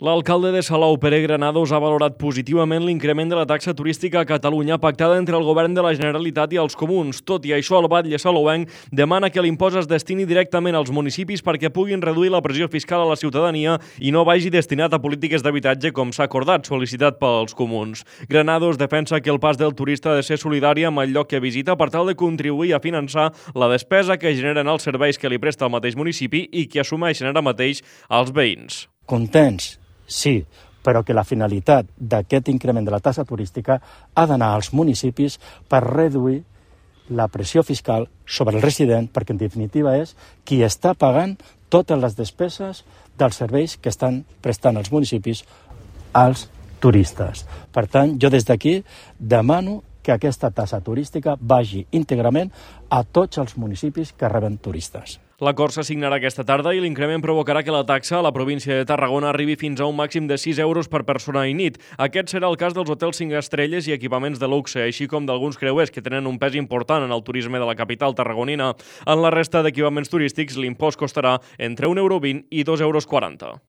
L'alcalde de Salou, Pere Granados, ha valorat positivament l'increment de la taxa turística a Catalunya pactada entre el govern de la Generalitat i els comuns. Tot i això, el batlle salouenc demana que l'impost es destini directament als municipis perquè puguin reduir la pressió fiscal a la ciutadania i no vagi destinat a polítiques d'habitatge com s'ha acordat, sol·licitat pels comuns. Granados defensa que el pas del turista ha de ser solidari amb el lloc que visita per tal de contribuir a finançar la despesa que generen els serveis que li presta el mateix municipi i que assumeixen ara mateix els veïns. Contents, sí, però que la finalitat d'aquest increment de la taxa turística ha d'anar als municipis per reduir la pressió fiscal sobre el resident, perquè en definitiva és qui està pagant totes les despeses dels serveis que estan prestant els municipis als turistes. Per tant, jo des d'aquí demano que aquesta taxa turística vagi íntegrament a tots els municipis que reben turistes. L'acord s'assignarà aquesta tarda i l'increment provocarà que la taxa a la província de Tarragona arribi fins a un màxim de 6 euros per persona i nit. Aquest serà el cas dels hotels 5 estrelles i equipaments de luxe, així com d'alguns creuers que tenen un pes important en el turisme de la capital tarragonina. En la resta d'equipaments turístics, l'impost costarà entre 1,20 € i 2,40 €.